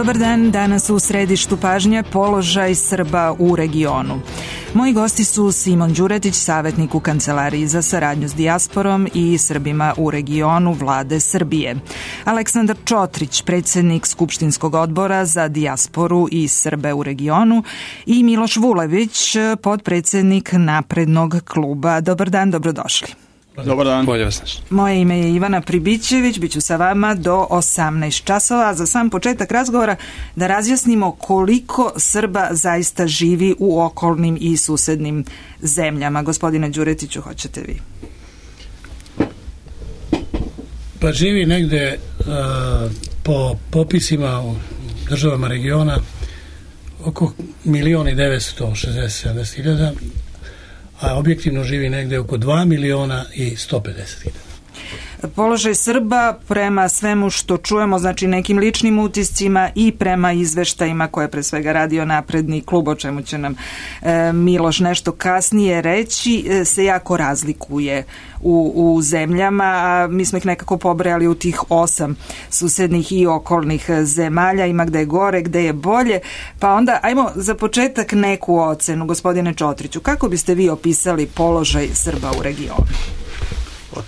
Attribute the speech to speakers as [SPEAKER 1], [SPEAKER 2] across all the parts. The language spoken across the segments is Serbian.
[SPEAKER 1] Dobar dan, danas u središtu pažnje položaj Srba u regionu. Moji gosti su Simon Đuretić, savjetnik u Kancelariji za saradnju s dijasporom i Srbima u regionu Vlade Srbije. Aleksandar Čotrić, predsjednik Skupštinskog odbora za dijasporu i Srbe u regionu i Miloš Vulević, potpredsjednik Naprednog kluba. Dobar dan, dobrodošli.
[SPEAKER 2] Dobar dan.
[SPEAKER 1] Moje ime je Ivana Pribićević, bit ću sa vama do 18 časova. Za sam početak razgovora da razjasnimo koliko Srba zaista živi u okolnim i susednim zemljama. Gospodine Đuretiću, hoćete vi?
[SPEAKER 3] Pa živi negde po popisima u državama regiona oko 1.960.000, a objektivno živi negde oko 2.150.000.
[SPEAKER 1] Položaj Srba prema svemu što čujemo, znači nekim ličnim utiscima i prema izveštajima koje pre svega radio Napredni klub, o čemu će nam Miloš nešto kasnije reći, se jako razlikuje u zemljama, a mi smo ih nekako pobrojali u tih 8 susednih i okolnih zemalja, ima gde je gore, gde je bolje, pa onda ajmo za početak neku ocenu. Gospodine Čotriću, kako biste vi opisali položaj Srba u regionu?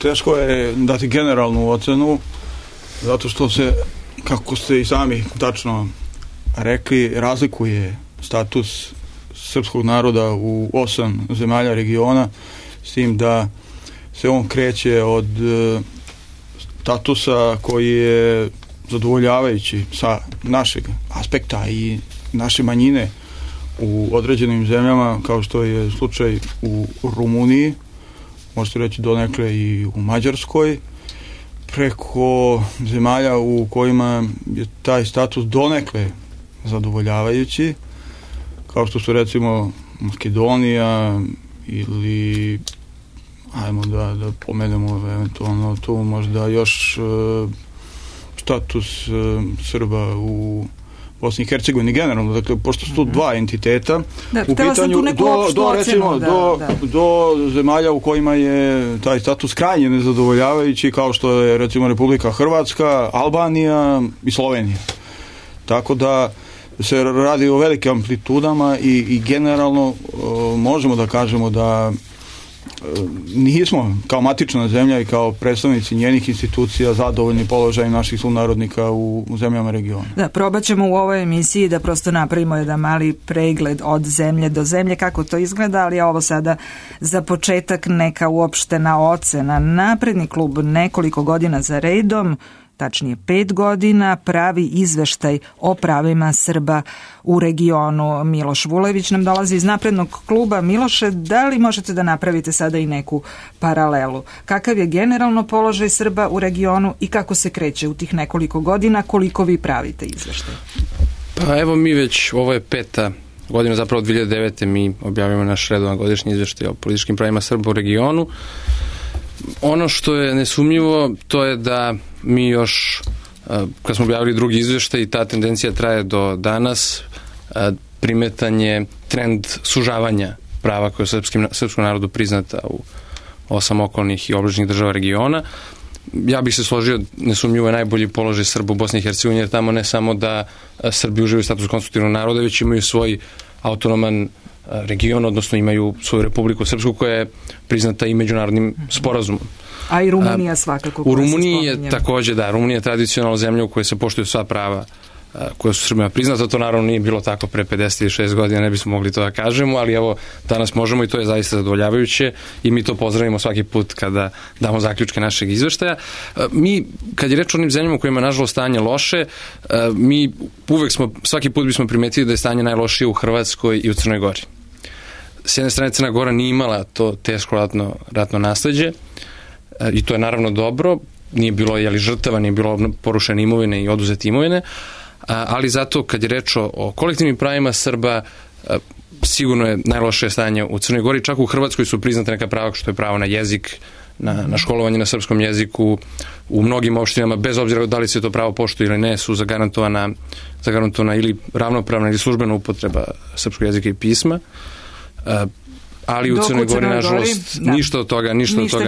[SPEAKER 2] Teško je dati generalnu ocenu, zato što se, kako ste i sami tačno rekli, razlikuje status srpskog naroda u 8 zemalja regiona, s tim da se on kreće od statusa koji je zadovoljavajući sa našeg aspekta i naše manjine u određenim zemljama, kao što je slučaj u Rumuniji, možete reći donekle i u Mađarskoj, preko zemalja u kojima je taj status donekle zadovoljavajući, kao što su recimo Makedonija ili ajmo da pomenemo eventualno tu možda još status Srba u Bosni i Hercegovini generalno, dakle, pošto su tu dva entiteta u pitanju, do zemalja u kojima je taj status krajnje nezadovoljavajući, kao što je recimo Republika Hrvatska, Albanija i Slovenija. Tako da se radi o velikim amplitudama i generalno možemo da kažemo da nismo kao matična zemlja i kao predstavnici njenih institucija zadovoljni položajem naših sunarodnika u zemljama regiona. Da, probat ćemo u ovoj emisiji da prosto napravimo jedan mali pregled od zemlje do zemlje kako to izgleda, ali ovo sada za početak neka uopštena ocena. Napredni klub nekoliko godina za redom, tačnije 5 godina, pravi izveštaj o pravima Srba u regionu. Miloš Vulević nam dolazi iz Naprednog kluba. Miloše, da li možete da napravite sada i neku paralelu? Kakav je generalno položaj Srba u regionu i kako se kreće u tih nekoliko godina, koliko vi pravite izveštaj?
[SPEAKER 4] Pa evo mi već, ovo je 5. godina, zapravo od 2009. mi objavimo naš redovan godišnji izveštaj o političkim pravima Srba u regionu. Ono što je nesumnjivo, to je da mi još, kad smo objavili drugi izveštaj, i ta tendencija traje do danas, primetan je trend sužavanja prava koje je srpskom narodu priznata u 8 okolnih i obližnjih država regiona. Ja bih se složio, nesumnjivo je najbolji položaj Srba u Bosni i Hercegovini, jer tamo ne samo da Srbi uživaju status konstitutivnog naroda, već imaju svoj autonoman region, odnosno imaju svoju Republiku Srpsku koja je priznata i međunarodnim sporazumom. A i Rumunija svakako. U Rumuniji je također, da, Rumunija je tradicionalna zemlja u kojoj se poštuju sva prava koja su Srbima priznata. To naravno nije bilo tako pre 56 godina, ne bismo mogli to da kažemo, ali evo, danas možemo i to je zaista zadovoljavajuće i mi to pozdravimo svaki put kada damo zaključke našeg izveštaja. Mi, kad je reč o onim zemljama u kojima je nažalost stanje loše, mi svaki put bismo primetili da je stanje najlošije u Hrvatskoj i u Crnoj Gori. S jedne strane, Crna Gora nije imala to teško ratno nasleđe i to je naravno dobro, nije bilo žrtava, nije bilo porušene imovine i oduzete imovine, ali zato kad je reč o kolektivnim pravima Srba, sigurno je najlošije stanje u Crnoj Gori. Čak u Hrvatskoj su priznate neka prava, što je pravo na jezik, na školovanje na srpskom jeziku. U mnogim opštinama, bez obzira da li se to pravo poštuje ili ne, su zagarantovana ili ravnopravna ili službena upotreba srpskog jezika i pisma. Ali u Crnoj Gori, nažalost, ništa od toga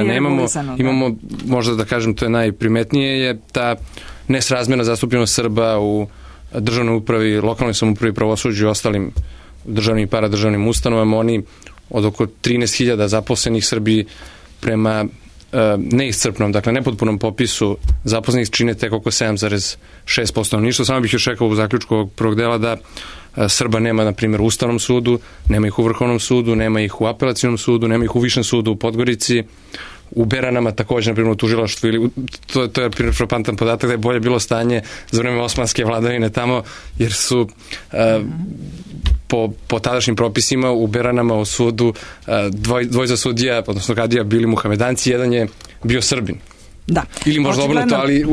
[SPEAKER 4] nemamo. Imamo, možda da kažem, to je najprimetnije, je ta nesrazmjerna zastupljenost Srba u državnoj upravi, lokalnoj samoupravi, pravosuđu i ostalim državnim i paradržavnim ustanovama. Oni od oko 13.000 zaposlenih Srbiji prema neiscrpnom, dakle nepotpunom popisu zaposlenih čine tek oko 7,6%. Ništa, samo bih još rekao u zaključku ovog prvog dela da Srba nema, na primjer, u Ustavnom sudu, nema ih u Vrhovnom sudu, nema ih u Apelacionom sudu, nema ih u Višem sudu u Podgorici, u Beranama također, na primjer, u tužilaštvu, ili to je frapantan podatak da je bolje bilo stanje za vreme osmanske vladavine tamo, jer su po tadašnjim propisima u Beranama u sudu dvojica sudija, odnosno kadija, bili muhamedanci, jedan je bio Srbin.
[SPEAKER 1] Da.
[SPEAKER 4] Ili možda obrnuto, ali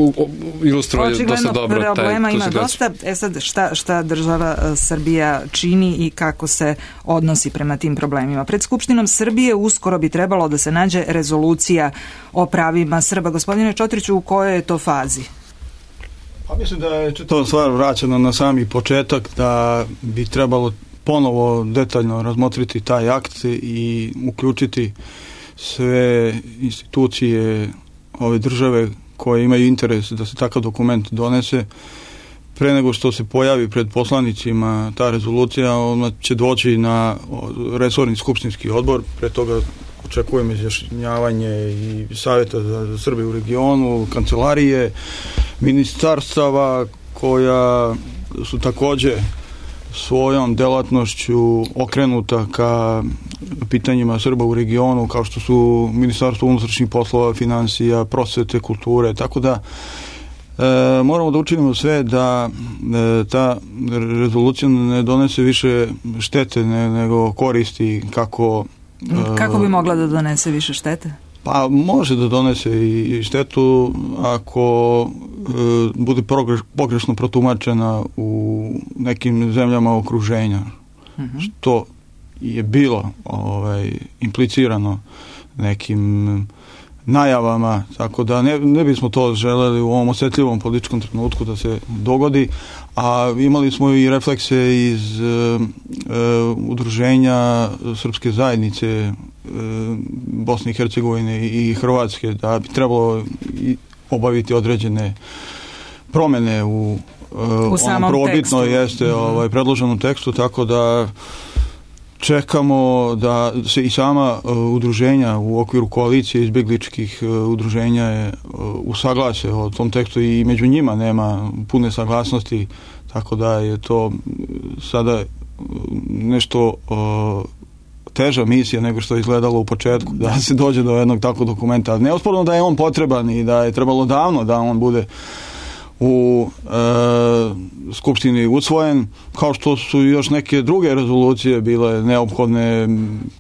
[SPEAKER 4] ilustruje dosta dobro.
[SPEAKER 1] Očigledno problema ima dosta. Sad, šta država Srbija čini i kako se odnosi prema tim problemima? Pred Skupštinom Srbije uskoro bi trebalo da se nađe rezolucija o pravima Srba. Gospodine Čotriću, u kojoj je to fazi?
[SPEAKER 2] Pa mislim da je čitava stvar vraćena na sami početak, da bi trebalo ponovo detaljno razmotriti taj akt i uključiti sve institucije ove države koje imaju interes da se takav dokument donese. Pre nego što se pojavi pred poslanicima ta rezolucija, ona će doći na resorni skupštinski odbor. Pre toga očekujem izjašnjavanje i savjeta za Srbe u regionu, kancelarije, ministarstava koja su također svojom delatnošću okrenuta ka pitanjima Srba u regionu, kao što su Ministarstvo unutrašnjih poslova, financija, prosvete, kulture, tako da moramo da učinimo sve da ta rezolucija ne donese više štete nego koristi. Kako
[SPEAKER 1] bi mogla da donese više štete?
[SPEAKER 2] Pa može da donese i štetu ako bude pogrešno protumačena u nekim zemljama okruženja, što je bilo implicirano nekim najavama, tako da ne bismo to želeli u ovom osjetljivom političkom trenutku da se dogodi, a imali smo i reflekse iz udruženja Srpske zajednice Bosne i Hercegovine i Hrvatske, da bi trebalo obaviti određene promjene u onom prvobitno jeste predloženom tekstu, tako da čekamo da se i sama udruženja u okviru koalicije izbjegličkih udruženja je usaglase o tom tekstu i među njima nema pune saglasnosti, tako da je to sada nešto teža misija nego što je izgledalo u početku, da se dođe do jednog takvog dokumenta. Neosporno da je on potreban i da je trebalo davno da on bude u Skupštini usvojen, kao što su još neke druge rezolucije bile neophodne.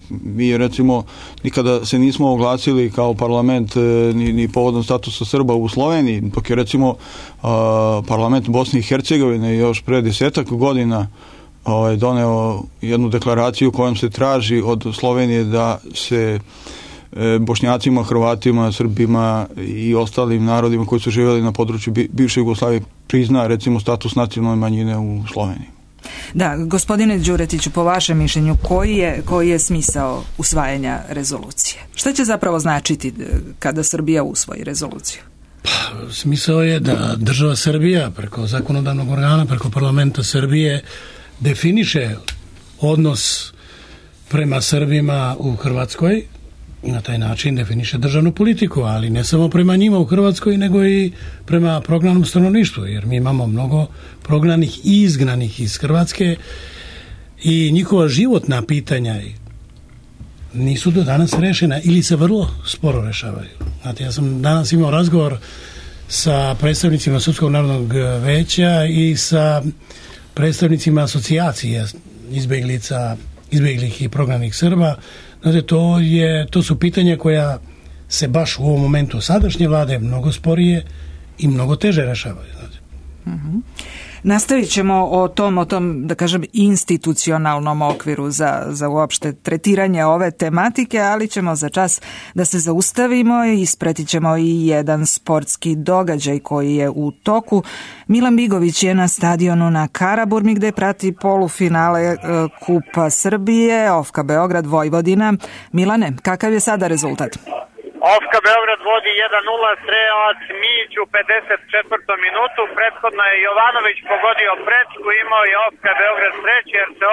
[SPEAKER 2] Mi recimo nikada se nismo oglasili kao parlament ni povodom statusa Srba u Sloveniji, dok je recimo parlament Bosne i Hercegovine još pre 10 godina doneo jednu deklaraciju kojom se traži od Slovenije da se Bošnjacima, Hrvatima, Srbima i ostalim narodima koji su živjeli na području bivše Jugoslavije prizna recimo status nacionalne manjine u Sloveniji.
[SPEAKER 1] Da, gospodine Đuretiću, po vašem mišljenju, koji je smisao usvajanja rezolucije? Šta će zapravo značiti kada Srbija usvoji rezoluciju?
[SPEAKER 3] Pa, smisao je da država Srbija preko zakonodavnog organa, preko parlamenta Srbije definiše odnos prema Srbima u Hrvatskoj i na taj način definiše državnu politiku, ali ne samo prema njima u Hrvatskoj, nego i prema prognanom stanovništvu, jer mi imamo mnogo prognanih i izgnanih iz Hrvatske i njihova životna pitanja nisu do danas rešena ili se vrlo sporo rešavaju. Znate, ja sam danas imao razgovor sa predstavnicima Srpskog narodnog veća i sa predstavnicima asocijacije izbjeglih i prognanih Srba. Znate, to su pitanja koja se baš u ovom momentu sadašnje vlade mnogo sporije i mnogo teže rešavaju. Znate.
[SPEAKER 1] Nastavit ćemo o tom, da kažem, institucionalnom okviru za uopšte tretiranje ove tematike, ali ćemo za čas da se zaustavimo i ispratit ćemo i jedan sportski događaj koji je u toku. Milan Bigović je na stadionu na Karaburmi gde prati polufinale Kupa Srbije, OFK Beograd, Vojvodina. Milane, kakav je sada rezultat?
[SPEAKER 5] Ofka Beograd vodi 1-0, strelac Mić u 54. minutu. Prethodno je Jovanović pogodio prečku, imao je Ofka Beograd sreće jer se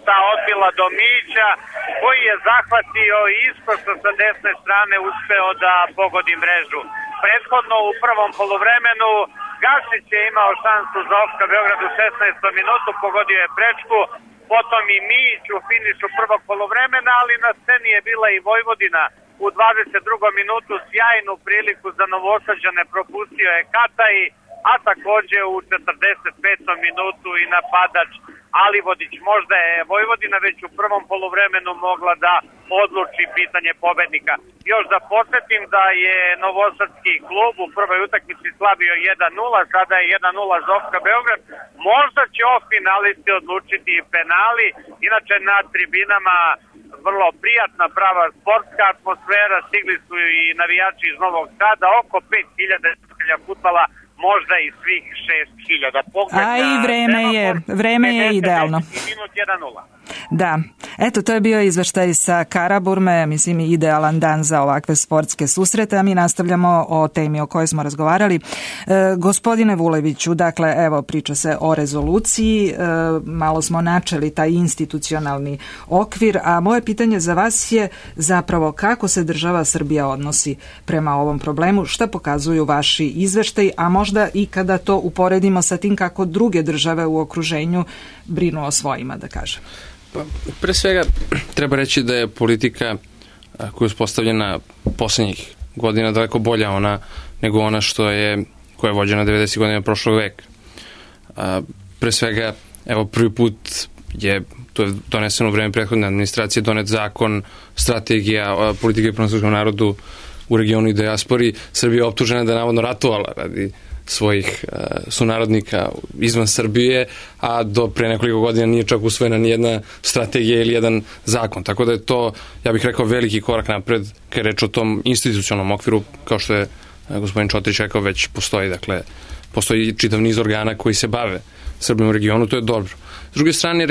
[SPEAKER 5] ta odbila do Mića, koji je zahvatio iskočno sa desne strane, uspeo da pogodi mrežu. Prethodno u prvom poluvremenu Gašić je imao šansu za Ofka Beograd u 16. minutu, pogodio je prečku, potom i Mić u finišu prvog poluvremena, ali na sceni je bila i Vojvodina. U 22. minutu sjajnu priliku za Novosađane propustio je Kataj, a takođe u 45. minutu i napadač Alivodić. Možda je Vojvodina već u prvom poluvremenu mogla da odluči pitanje pobednika. Još da podsjetim da je novosadski klub u prvoj utakmici slavio 1-0, sada je 1-0 za Ofka Beograd. Možda će o finalisti odlučiti i penali, inače na tribinama vrlo prijatna, prava sportska atmosfera, stigli su i navijači iz Novog Sada, oko 5000 fudbala, možda i svih 6000.
[SPEAKER 1] A i vreme je idealno.
[SPEAKER 5] Minut 1-0.
[SPEAKER 1] Da, eto, to je bio izveštaj sa Karaburme, mislim i idealan dan za ovakve sportske susrete, a mi nastavljamo o temi o kojoj smo razgovarali. Gospodine Vuleviću, dakle, evo, priča se o rezoluciji, malo smo načeli taj institucionalni okvir, a moje pitanje za vas je zapravo kako se država Srbija odnosi prema ovom problemu, šta pokazuju vaši izveštaji, a možda i kada to uporedimo sa tim kako druge države u okruženju brinu o svojima, da kažem.
[SPEAKER 4] Pa, pre svega treba reći da je politika koja je uspostavljena poslednjih godina daleko bolja nego ona koja je vođena 90. godina prošlog veka. Pre svega, evo, prvi put to je doneseno u vreme prethodne administracije, donet zakon, strategija politike prema srpskom narodu u regionu i dijaspori. Srbija je optužena da je navodno ratovala radi svojih sunarodnika izvan Srbije, a do pre nekoliko godina nije čak usvojena ni jedna strategija ili jedan zakon. Tako da je to, ja bih rekao, veliki korak napred kad je reč o tom institucionalnom okviru, kao što je gospodin Čotrić rekao, već postoji. Dakle, postoji čitav niz organa koji se bave Srbijom u regionu, to je dobro. S druge strane,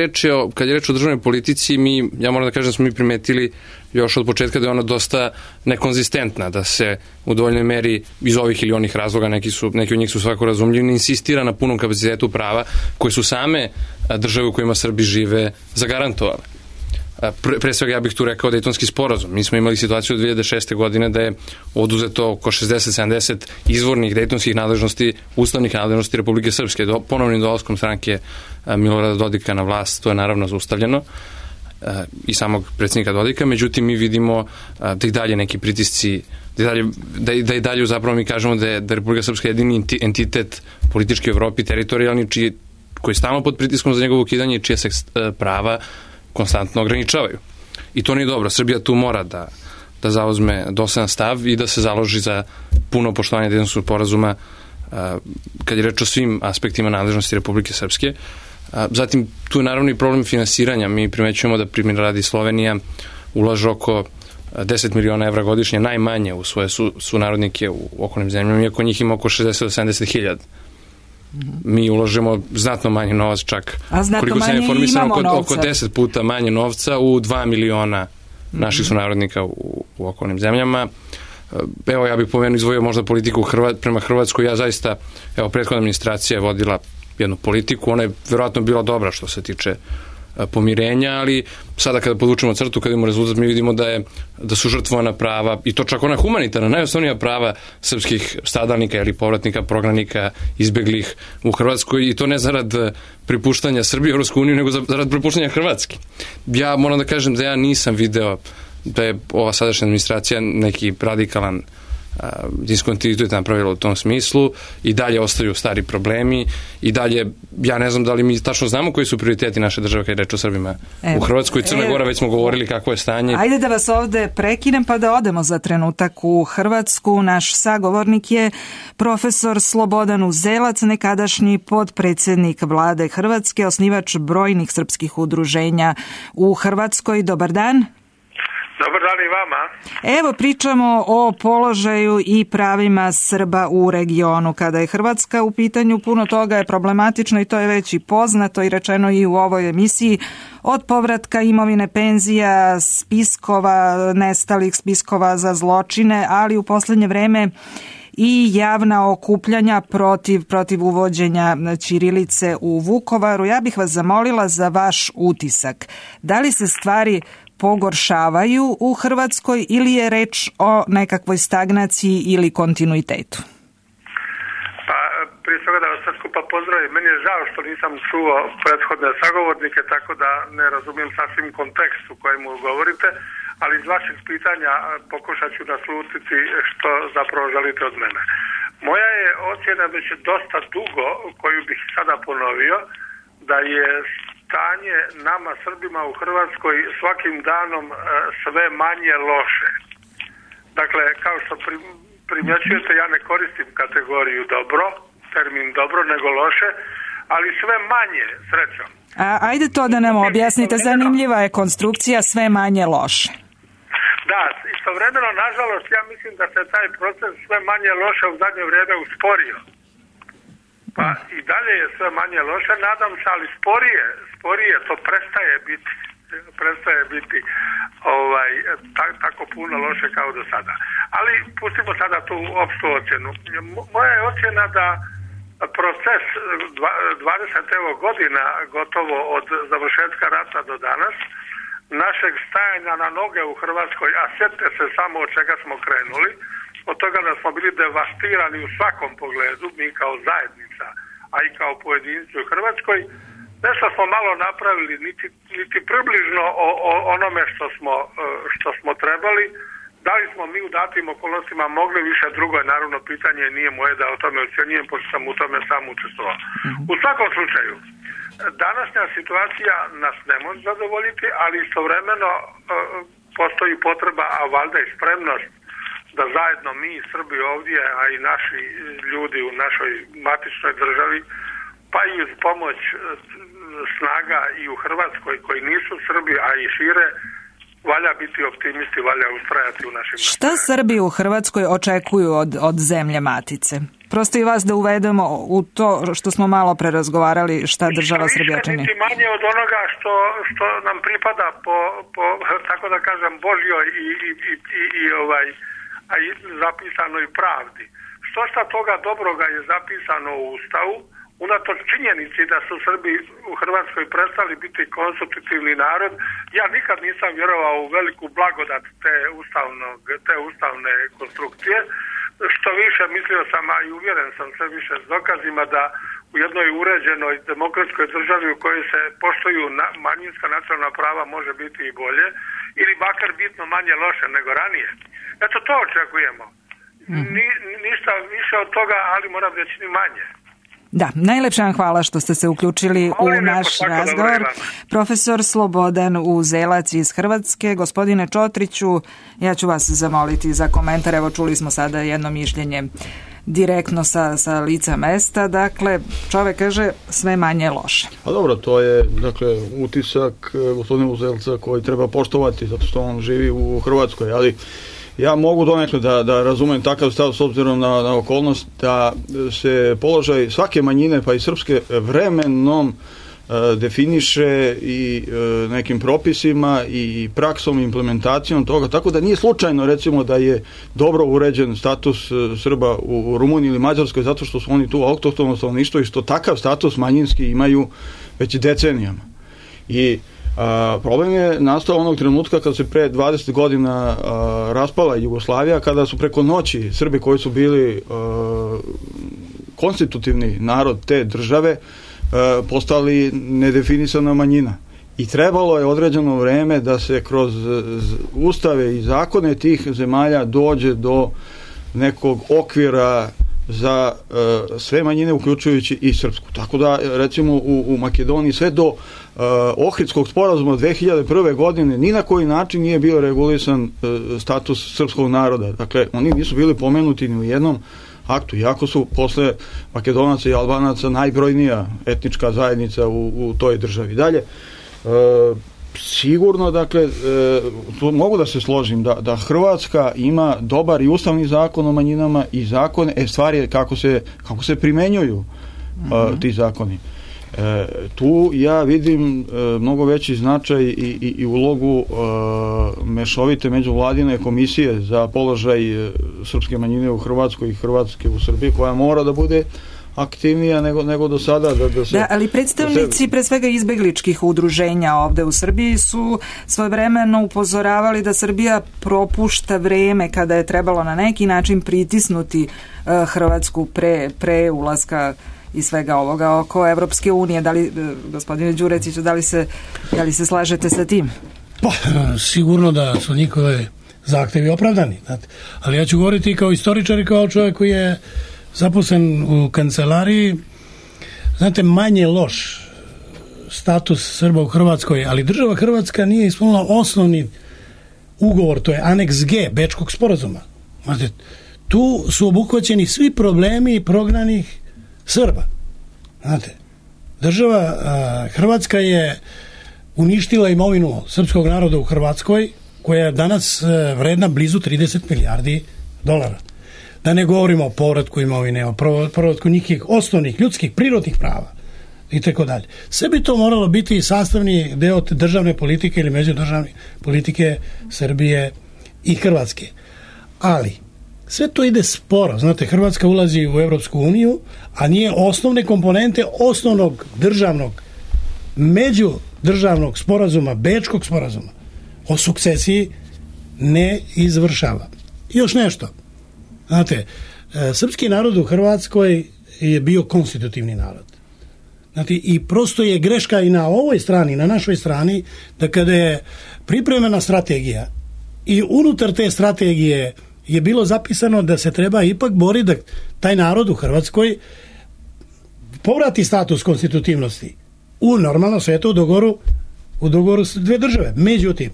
[SPEAKER 4] kad je reč o državnoj politici, ja moram da kažem da smo mi primetili još od početka da je ona dosta nekonzistentna, da se u dovoljnoj meri iz ovih ili onih razloga, neki od njih su svako razumljivi, insistira na punom kapacitetu prava koje su same države u kojima Srbi žive zagarantovale. Pre svega ja bih tu rekao Dejtonski sporazum. Mi smo imali situaciju od 2006. godine da je oduzeto oko 60-70 izvornih dejtonskih nadležnosti, ustavnih nadležnosti Republike Srpske. Ponovnim dolaskom stranke Milorada Dodika na vlast to je naravno zaustavljeno i samog predsjednika Dodika, međutim mi vidimo da i dalje neki pritisci, da i dalje zapravo mi kažemo da je Republika Srpska jedini entitet politički u Evropi, teritorijalni, koji je stalno pod pritiskom za njegovo ukidanje i čije se prava konstantno ograničavaju. I to nije dobro. Srbija tu mora da zauzme dosledan stav i da se založi za puno poštovanje Dejtonskog sporazuma kad je reč o svim aspektima nadležnosti Republike Srpske. Zatim, tu je naravno i problem finansiranja. Mi primećujemo da, primjer radi, Slovenija ulaže oko 10 miliona evra godišnje, najmanje u svoje sunarodnike u okolnim zemljama, iako njih ima oko 60 do 70 hiljada. Mi ulažemo znatno manje novac, čak koliko sam informisan, oko 10 puta manje novca u 2 miliona naših sunarodnika u okolnim zemljama. Evo, ja bih pomenuo, izdvojio možda politiku prema Hrvatskoj. Ja zaista, evo, prethodna administracija je vodila jednu politiku, ona je verovatno bila dobra što se tiče pomirenja, ali sada kada podvučemo crtu, kada imamo rezultat, mi vidimo da su žrtvovana prava, i to čak ona humanitarna, najosnovnija prava srpskih stradalnika ili povratnika, prognanika, izbeglih u Hrvatskoj, i to ne zarad pripuštanja Srbije u Europsku uniju, nego zarad pripuštanja Hrvatske. Ja moram da kažem da ja nisam video da je ova sadašnja administracija neki radikalan diskontinuitet napravila u tom smislu, i dalje ostaju stari problemi, i dalje, ja ne znam da li mi tačno znamo koji su prioriteti naše države kad je reč o Srbima u Hrvatskoj. Crna Gora, već smo govorili kako je stanje.
[SPEAKER 1] Ajde da vas ovde prekinem pa da odemo za trenutak u Hrvatsku. Naš sagovornik je profesor Slobodan Uzelac, nekadašnji podpredsednik vlade Hrvatske, osnivač brojnih srpskih udruženja u Hrvatskoj. Dobar dan.
[SPEAKER 6] Dobar dan i vama.
[SPEAKER 1] Evo pričamo o položaju i pravima Srba u regionu. Kada je Hrvatska u pitanju, puno toga je problematično i to je već i poznato i rečeno i u ovoj emisiji. Od povratka imovine, penzija, spiskova, nestalih spiskova za zločine, ali u posljednje vreme i javna okupljanja protiv uvođenja ćirilice u Vukovaru. Ja bih vas zamolila za vaš utisak. Da li se stvari pogoršavaju u Hrvatskoj ili je reč o nekakvoj stagnaciji ili kontinuitetu?
[SPEAKER 6] Pa, prije svega da vas sve skupa pozdravim. Meni je žao što nisam čuo prethodne sagovornike, tako da ne razumijem sasvim kontekst u kojemu govorite, ali iz vaših pitanja pokušat ću naslutiti što zapravo želite od mene. Moja je ocjena već dosta dugo, koju bih sada ponovio, da je stanje nama Srbima u Hrvatskoj svakim danom sve manje loše. Dakle, kao što primjećujete, ja ne koristim kategoriju dobro, termin dobro, nego loše, ali sve manje, srećom.
[SPEAKER 1] Ajde to da nam objasnite, zanimljiva je konstrukcija sve manje loše.
[SPEAKER 6] Da, istovremeno, nažalost, ja mislim da se taj proces sve manje loše u zadnje vrijeme usporio. Pa i dalje je sve manje loše, nadam se, ali sporije to prestaje biti tako puno loše kao do sada. Ali pustimo sada tu opštu ocjenu. Moja je ocjena da proces 20 godina gotovo od završetka rata do danas, našeg stajanja na noge u Hrvatskoj, a sjetite se samo od čega smo krenuli, od toga da smo bili devastirani u svakom pogledu, mi kao zajednica, a i kao pojedinci u Hrvatskoj, nešto smo malo napravili, niti približno o onome što smo trebali. Da li smo mi u datim okolnostima mogli više, drugo je naravno pitanje, nije moje da o tome ocjenjujem, pošto sam u tome sam učestvovao. U svakom slučaju, današnja situacija nas ne može zadovoljiti, ali istovremeno postoji potreba, a valjda i spremnost, da zajedno mi Srbi ovdje, a i naši ljudi u našoj matičnoj državi, pa i uz pomoć snaga i u Hrvatskoj koji nisu Srbi, a i šire, valja biti optimisti, valja ustrajati u našim...
[SPEAKER 1] Šta Srbi u Hrvatskoj očekuju od zemlje matice? Prosto i vas da uvedemo u to što smo malo prerazgovarali, šta država Srbija čini.
[SPEAKER 6] Niti manje od onoga što nam pripada po tako da kažem, Božjoj i zapisanoj pravdi. Šta toga dobroga je zapisano u Ustavu, unatoč činjenici da su Srbi u Hrvatskoj prestali biti konstitutivni narod. Ja nikad nisam vjerovao u veliku blagodat te ustavne konstrukcije. Što više, mislio sam, a i uvjeren sam sve više s dokazima da u jednoj uređenoj demokratskoj državi u kojoj se poštuju manjinska nacionalna prava može biti i bolje, ili makar bitno manje loše nego ranije. Eto, to očekujemo. Ništa više od toga, ali moram reći ni manje.
[SPEAKER 1] Da, najlepša vam hvala što ste se uključili u naš razgovor. Profesor Slobodan Uzelac iz Hrvatske. Gospodine Čotriću, ja ću vas zamoliti za komentar. Evo, čuli smo sada jedno mišljenje direktno sa lica mesta. Dakle, čovjek kaže sve manje loše.
[SPEAKER 2] A dobro, to je utisak gospodina Uzelca koji treba poštovati zato što on živi u Hrvatskoj, ali ja mogu donekle da razumem takav stav s obzirom na okolnost da se položaj svake manjine, pa i srpske, vremenom definiše i nekim propisima i praksom i implementacijom toga, tako da nije slučajno recimo da je dobro uređen status Srba u Rumuniji ili Mađarskoj zato što su oni tu autohtono stanovništvo i što takav status manjinski imaju već decenijama. I problem je nastao onog trenutka kada se pre 20 godina raspala Jugoslavija, kada su preko noći Srbi koji su bili konstitutivni narod te države postali nedefinisana manjina. I trebalo je određeno vreme da se kroz ustave i zakone tih zemalja dođe do nekog okvira za sve manjine, uključujući i srpsku. Tako da, recimo, u Makedoniji sve do Ohridskog sporazuma 2001. godine ni na koji način nije bio regulisan status srpskog naroda. Dakle, oni nisu bili pomenuti ni u jednom aktu, iako su posle Makedonaca i Albanaca najbrojnija etnička zajednica u toj državi. Dalje, sigurno, dakle, mogu da se složim da Hrvatska ima dobar i ustavni zakon o manjinama i zakone, stvar je kako se primenjuju ti zakoni. Tu ja vidim mnogo veći značaj i ulogu mešovite međuvladine komisije za položaj srpske manjine u Hrvatskoj i Hrvatske u Srbiji, koja mora da bude aktivnija nego do sada.
[SPEAKER 1] Ali predstavnici pre svega izbegličkih udruženja ovde u Srbiji su svojevremeno upozoravali da Srbija propušta vreme kada je trebalo na neki način pritisnuti Hrvatsku pre ulaska i svega ovoga oko Evropske unije. Da li, gospodine Đuretiću, da li se slažete sa tim?
[SPEAKER 3] Pa, sigurno da su njihove zahtevi opravdani. Znate. Ali ja ću govoriti kao istoričar i kao čovjek koji je zaposlen u kancelariji. Znate, manje loš status Srba u Hrvatskoj, ali država Hrvatska nije ispunila osnovni ugovor, to je aneks G Bečkog sporazuma. Znate, tu su obuhvaćeni svi problemi prognanih Srba. Znate, država Hrvatska je uništila imovinu srpskog naroda u Hrvatskoj, koja je danas vredna blizu 30 milijardi dolara. Da ne govorimo o povratku imovine, o povratku njih osnovnih ljudskih, prirodnih prava i tako dalje. Sve bi to moralo biti sastavni deo državne politike ili međudržavne politike Srbije i Hrvatske. Ali sve to ide sporo. Znate, Hrvatska ulazi u Evropsku uniju, a nije osnovne komponente osnovnog državnog, međudržavnog sporazuma, Bečkog sporazuma o sukcesiji ne izvršava. I još nešto. Znate, srpski narod u Hrvatskoj je bio konstitutivni narod. Znate, i prosto je greška i na ovoj strani, na našoj strani, da kada je pripremena strategija i unutar te strategije je bilo zapisano da se treba ipak boriti da taj narod u Hrvatskoj povrati status konstitutivnosti u normalno svetu u dogovoru s dve države. Međutim,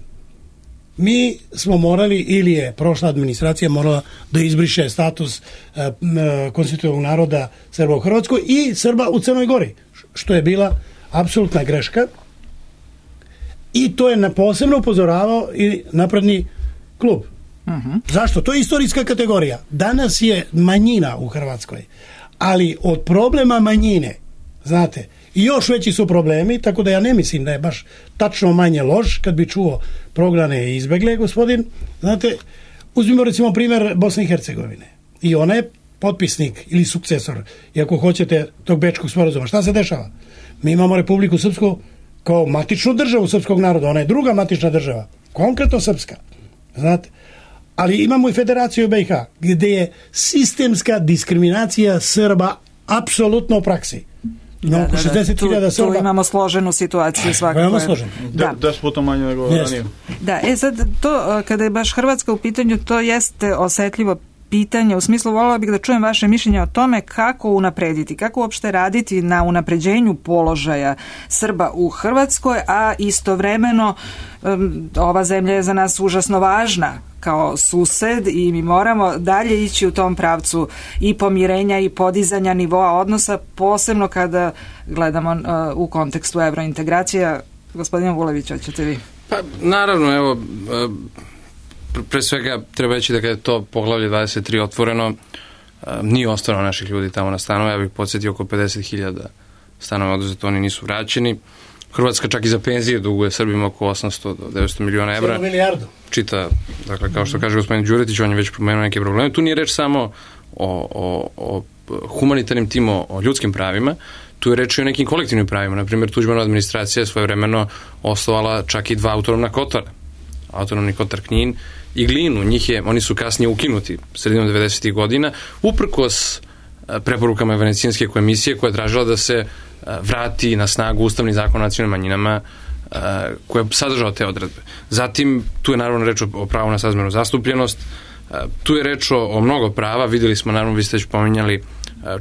[SPEAKER 3] mi smo morali, ili je prošla administracija morala da izbriše status konstitutivnog naroda Srba u Hrvatskoj i Srba u Crnoj Gori, što je bila apsolutna greška, i to je posebno upozoravao i Napredni klub. Zašto? To je istorijska kategorija. Danas je manjina u Hrvatskoj, ali od problema manjine, znate, i još veći su problemi, tako da ja ne mislim da je baš tačno manje loš kad bi čuo prognane i izbegle, gospodin. Znate, uzmimo recimo primjer Bosne i Hercegovine. I ona je potpisnik ili sukcesor, i ako hoćete, tog Bečkog sporazuma. Šta se dešava? Mi imamo Republiku Srpsku kao matičnu državu srpskog naroda. Ona je druga matična država, konkretno srpska. Znate, ali imamo i Federaciju BiH, gdje je sistemska diskriminacija Srba apsolutno u praksi.
[SPEAKER 1] Tu imamo složenu situaciju svakako.
[SPEAKER 2] Da s putom manje nego ranije.
[SPEAKER 1] Da, sad to, kada je baš Hrvatska u pitanju, to jeste osetljivo pitanje, u smislu voljela bih da čujem vaše mišljenje o tome kako unaprediti, kako uopšte raditi na unapređenju položaja Srba u Hrvatskoj, a istovremeno ova zemlja je za nas užasno važna kao sused i mi moramo dalje ići u tom pravcu i pomirenja i podizanja nivoa odnosa, posebno kada gledamo u kontekstu evrointegracija. Gospodine Vulević, hoćete vi?
[SPEAKER 4] Pa naravno, evo, pre svega treba reći da kada je to poglavlje 23 otvoreno, nije ostalo naših ljudi tamo na stanove. Ja bih podsjetio, oko 50.000 stanova oduzeto, oni nisu vraćeni. Hrvatska čak i za penzije duguje Srbima oko 800 do 900 miliona evra. Čita, dakle, kao što kaže gospodin Đuretić, on je već pomenuo neke probleme. Tu nije reč samo o humanitarnim timom, o ljudskim pravima, tu je reč i o nekim kolektivnim pravima. Naprimjer, Tuđmanova administracija je svojevremeno osnovala čak i 2 autonomna kotara. Autonomni kotar Knin i Glinu. Oni su kasnije ukinuti sredinom 90. godina, uprkos preporukama Venecijanske komisije koja je tražila da se vrati na snagu Ustavni zakon o nacionalnim manjinama koja je sadržao te odredbe. Zatim, tu je naravno reč o pravu na srazmernu zastupljenost, tu je reč o mnogo prava. Vidjeli smo, naravno, vi ste već pominjali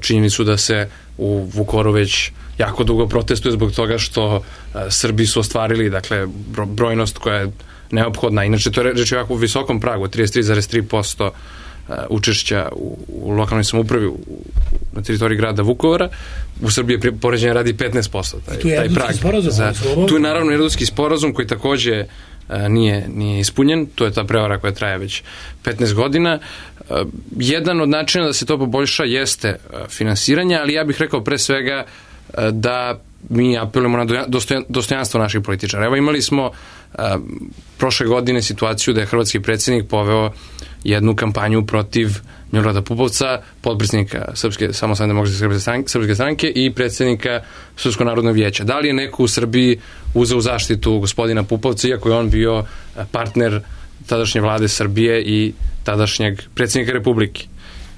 [SPEAKER 4] činjenicu da se u Vukovaru već jako dugo protestuje zbog toga što Srbi su ostvarili, dakle, brojnost koja je neophodna. Inače, to je reč o jako visokom pragu, 33,3% učešća u lokalnoj samoupravi na teritoriji grada Vukovara. U Srbiji je poređenje radi 15%. Taj prag. Tu je naravno Erdutski sporazum koji takođe nije ispunjen. To je ta prevara koja traje već 15 godina. Jedan od načina da se to poboljša jeste finansiranje, ali ja bih rekao pre svega da mi apelujemo na dostojanstvo naših političara. Evo, imali smo prošle godine situaciju da je hrvatski predsjednik poveo jednu kampanju protiv Milorada Pupovca, potpredsjednika Srpske samostalne demokratske srpske stranke i predsjednika Srpskog narodnog vijeća. Da li je neko u Srbiji uzeo zaštitu gospodina Pupovca, iako je on bio partner tadašnje vlade Srbije i tadašnjeg predsjednika Republike?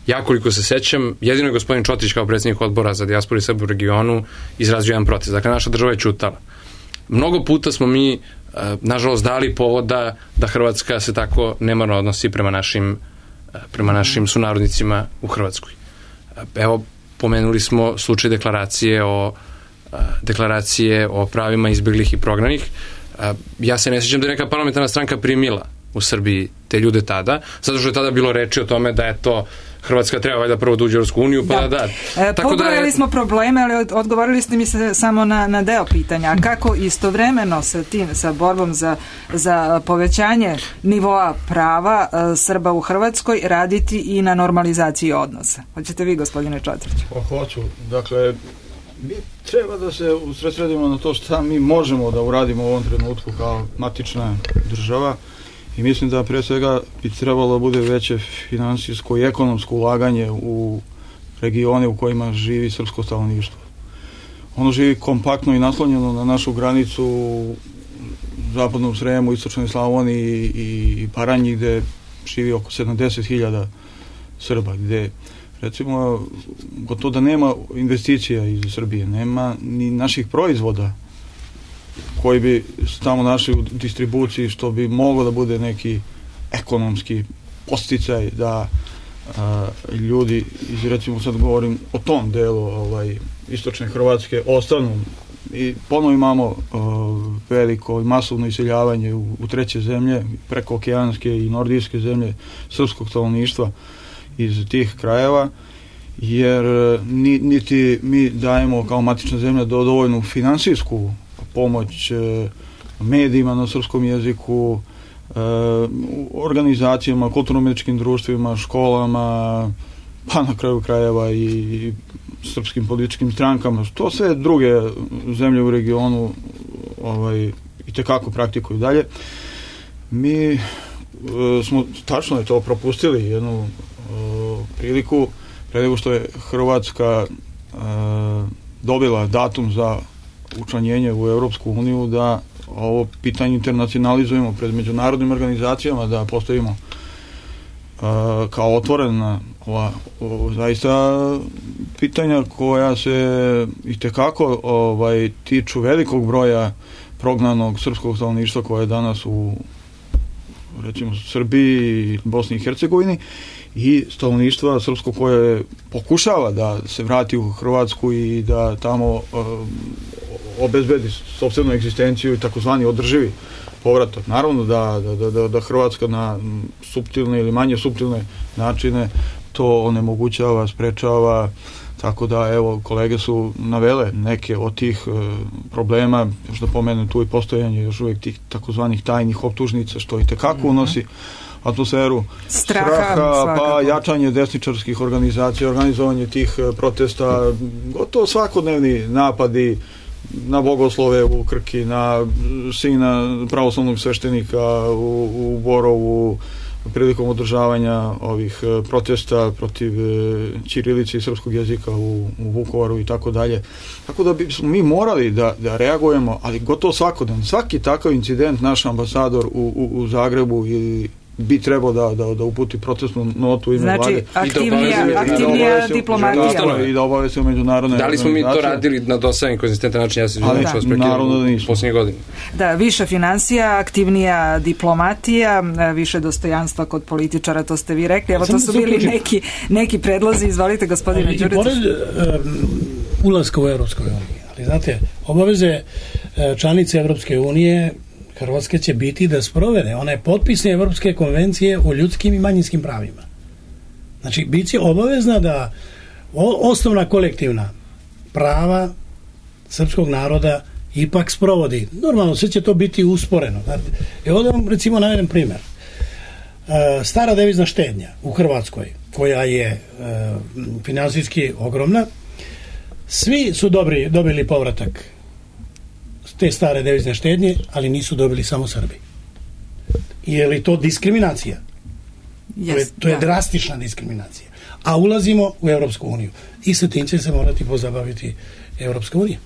[SPEAKER 4] Ja, koliko se sećam, jedino je gospodin Čotrić kao predsjednik odbora za dijasporu i Srbe u regionu izrazio jedan protest. Dakle, naša država je ćutala. Mnogo puta smo mi, nažalost, dali povoda da Hrvatska se tako nemarno odnosi prema našim sunarodnicima u Hrvatskoj. Evo, pomenuli smo slučaj deklaracije o pravima izbjeglih i prognanih. Ja se ne sjećam da je neka parlamentarna stranka primila u Srbiji te ljude tada, zato što je tada bilo reči o tome da je to Hrvatska treba valjda prvo da uđe u Europsku uniju, pa da.
[SPEAKER 1] Pobrojali smo probleme, ali odgovorili ste mi se samo na deo pitanja. A kako istovremeno sa borbom za povećanje nivoa prava Srba u Hrvatskoj raditi i na normalizaciji odnosa? Hoćete vi, gospodine Čotrić?
[SPEAKER 2] Hoću. Dakle, mi treba da se usredsredimo na to šta mi možemo da uradimo u ovom trenutku kao matična država. I mislim da pre svega bi trebalo da bude veće finansijsko i ekonomsko ulaganje u regione u kojima živi srpsko stanovništvo. Ono živi kompaktno i naslonjeno na našu granicu u zapadnom Sremu, istočnoj Slavoniji i Baranji, gde živi oko 70.000 Srba, gde recimo gotovo da nema investicija iz Srbije, nema ni naših proizvoda koji bi tamo našli u distribuciji, što bi moglo da bude neki ekonomski podsticaj da ljudi, recimo sad govorim o tom delu istočne Hrvatske, ostanu. I ponovo imamo veliko i masovno iseljavanje u treće zemlje, preko okeanske i nordijske zemlje srpskog stanovništva iz tih krajeva, jer niti mi dajemo kao matična zemlja dovoljnu finansijsku pomoć medijima na srpskom jeziku, organizacijama, kulturno-umjetničkim društvima, školama, pa na kraju krajeva i srpskim političkim strankama. To sve druge zemlje u regionu i tekako praktikuju dalje. Mi smo, tačno je to, propustili jednu priliku pre nego što je Hrvatska dobila datum za učlanjenje u Europsku uniju, da ovo pitanje internacionalizujemo pred međunarodnim organizacijama, da postavimo kao otvorena zaista pitanja koja se itekako tiču velikog broja prognanog srpskog stanovništva koje je danas u recimo Srbiji, Bosni i Hercegovini, i stanovništva srpsko koje pokušava da se vrati u Hrvatsku i da tamo obezbedi sopstvenu egzistenciju i takozvani održivi povratak. Naravno da Hrvatska na suptilne ili manje suptilne načine to onemogućava, sprečava, tako da evo kolege su navele neke od tih problema, još da pomenem tu i postojanje još uvijek tih takozvanih tajnih optužnica, što i tekako unosi atmosferu straha, pa jačanje desničarskih organizacija, organizovanje tih protesta, gotovo svakodnevni napadi na bogoslove u Krki, na sina pravoslavnog sveštenika u Borovu prilikom održavanja ovih protesta protiv ćirilice i srpskog jezika u Vukovaru i tako dalje. Tako da bismo mi morali da reagujemo, ali gotovo svakodnevno. Svaki takav incident naš ambasador u Zagrebu bi trebao da uputi protestnu notu ime vlade.
[SPEAKER 1] Znači, aktivnija diplomatija.
[SPEAKER 2] I da obavesti u međunarodne
[SPEAKER 4] organizacije. Da li smo mi to radili na dosadan i konzistentan način? Ja se izvijem što vas prekidam u posljednje godine.
[SPEAKER 1] Da, više financija, aktivnija diplomatija, više dostojanstva kod političara, to ste vi rekli. Evo, to su bili neki predlozi. Izvolite, gospodine Đurić.
[SPEAKER 3] I pored ulaska u Europskoj uniji, ali znate, obaveze članice Europske unije Hrvatska će biti da sprovede one potpisne Evropske konvencije o ljudskim i manjinskim pravima. Znači, bit će obavezna da osnovna kolektivna prava srpskog naroda ipak sprovodi. Normalno, sve će to biti usporeno. Ovdje vam recimo navedem primjer. Stara devizna štednja u Hrvatskoj, koja je finansijski ogromna, svi su dobili povratak te stare devizne štednje, ali nisu dobili samo Srbi. Je li to diskriminacija? To je drastična diskriminacija. A ulazimo u Europsku uniju. I sa tim će se morati pozabaviti Europska unija.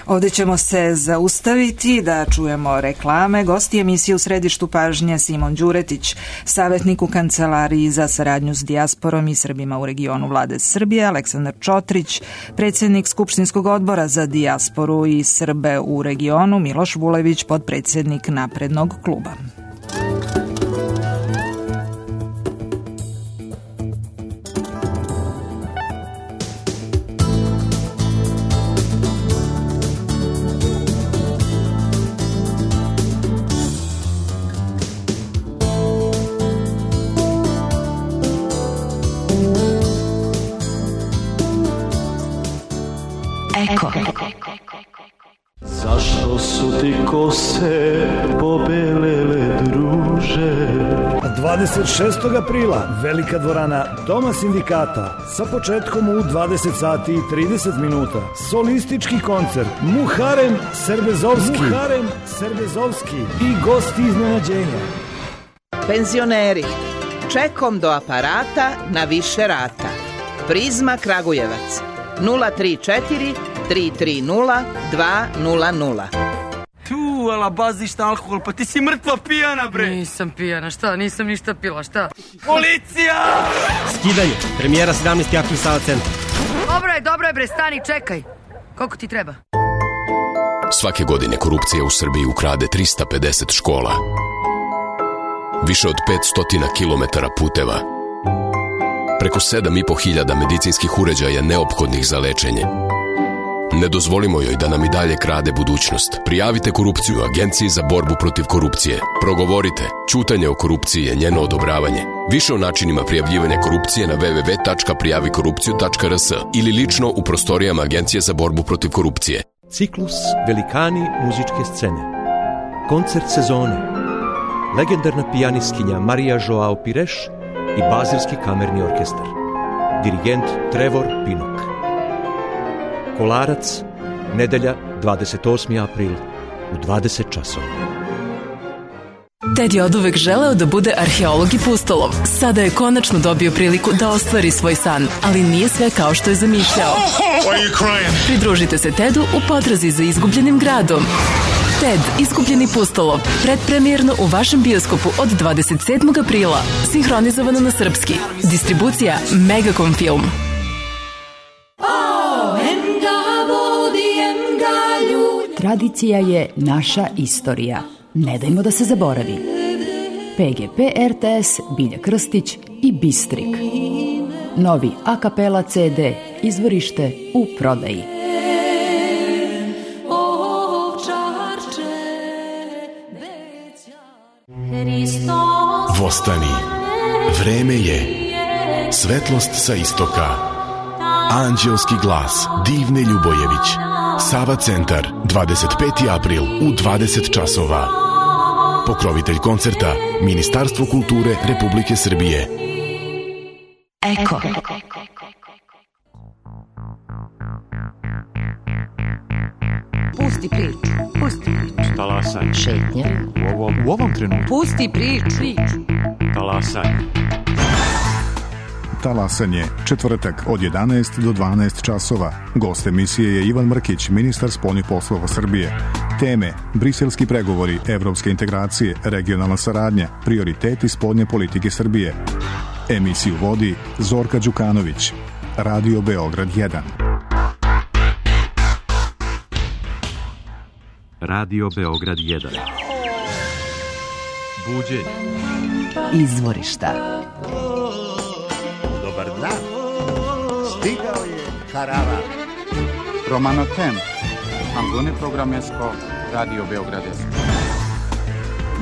[SPEAKER 1] Ovdje ćemo se zaustaviti da čujemo reklame. Gosti emisije U središtu pažnje Simon Đuretić, savjetnik u Kancelariji za saradnju s dijasporom i Srbima u regionu Vlade Srbije, Aleksandar Čotrić, predsjednik Skupštinskog odbora za dijasporu i Srbe u regionu, Miloš Vulević, potpredsjednik Naprednog kluba.
[SPEAKER 7] Zašto su ti kose pobelele, druže?
[SPEAKER 8] 26. aprila velika dvorana Doma sindikata sa početkom u 20 sati i 30 minuta. Solistički koncert Muharem Serbezovski i gosti iznenađenja.
[SPEAKER 9] Penzioneri, čekom do aparata na više rata. Prizma Kragujevac 034 330 200.
[SPEAKER 10] Tu, ala baziš na alkohol, pa ti si mrtva pijana, bre.
[SPEAKER 11] Nisam pijana, šta? Nisam ništa pila, šta?
[SPEAKER 10] Policija!
[SPEAKER 12] Skidanje, premijera 17. april Sava centar.
[SPEAKER 11] Dobro je, bre, stani, čekaj. Koliko ti treba?
[SPEAKER 13] Svake godine korupcija u Srbiji ukrade 350 škola. Više od 500 kilometara puteva. Preko 7.500 medicinskih uređaja neophodnih za lečenje. Ne dozvolimo joj da nam i dalje krade budućnost. Prijavite korupciju Agenciji za borbu protiv korupcije. Progovorite. Ćutanje o korupciji je njeno odobravanje. Više o načinima prijavljivanja korupcije na www.prijavikorupciju.rs ili lično u prostorijama Agencije za borbu protiv korupcije.
[SPEAKER 14] Ciklus Velikani muzičke scene. Koncert sezone. Legendarna pijanistkinja Marija Joao Pires i Bazilski kamerni orkestar. Dirigent Trevor Pinnock. Kolarac, nedelja 28. april u 20 časova.
[SPEAKER 15] Ted je oduvek želeo da bude arheolog i pustolov. Sada je konačno dobio priliku da ostvari svoj san, ali nije sve kao što je zamišljao. Pridružite se Tedu u potrazi za izgubljenim gradom. Ted, izgubljeni pustolov, predpremijerno u vašem bioskopu od 27. aprila, sinhronizovano na srpski. Distribucija Megacom Film.
[SPEAKER 16] Tradicija je naša istorija. Ne dajmo da se zaboravi. PGP RTS, Bilja Krstić i Bistrik. Novi a kapela CD, izvorište u prodaji.
[SPEAKER 17] Vostani, vreme je, svetlost sa istoka, anđelski glas Divne Ljubojević, Sava centar, 25. april u 20 časova. Pokrovitelj koncerta, Ministarstvo kulture Republike Srbije.
[SPEAKER 16] Eko.
[SPEAKER 11] Pusti priču.
[SPEAKER 14] Talasanje.
[SPEAKER 16] Šetnja.
[SPEAKER 14] U ovom trenutku.
[SPEAKER 11] Pusti priču.
[SPEAKER 14] Talasanje.
[SPEAKER 18] Talasanje, četvrtak od 11 do 12 časova. Gost emisije je Ivan Mrkić, ministar spoljnih poslova Srbije. Teme: briselski pregovori, evropske integracije, regionalna saradnja, prioriteti spoljne politike Srbije. Emisiju vodi Zorka Đukanović. Radio Beograd 1.
[SPEAKER 14] Radio Beograd 1. Buđenje.
[SPEAKER 16] Izvorišta.
[SPEAKER 19] Dobar dan. Stigao je Karava. Romano Tem. Ambune Programesko. Radio Beograd 1.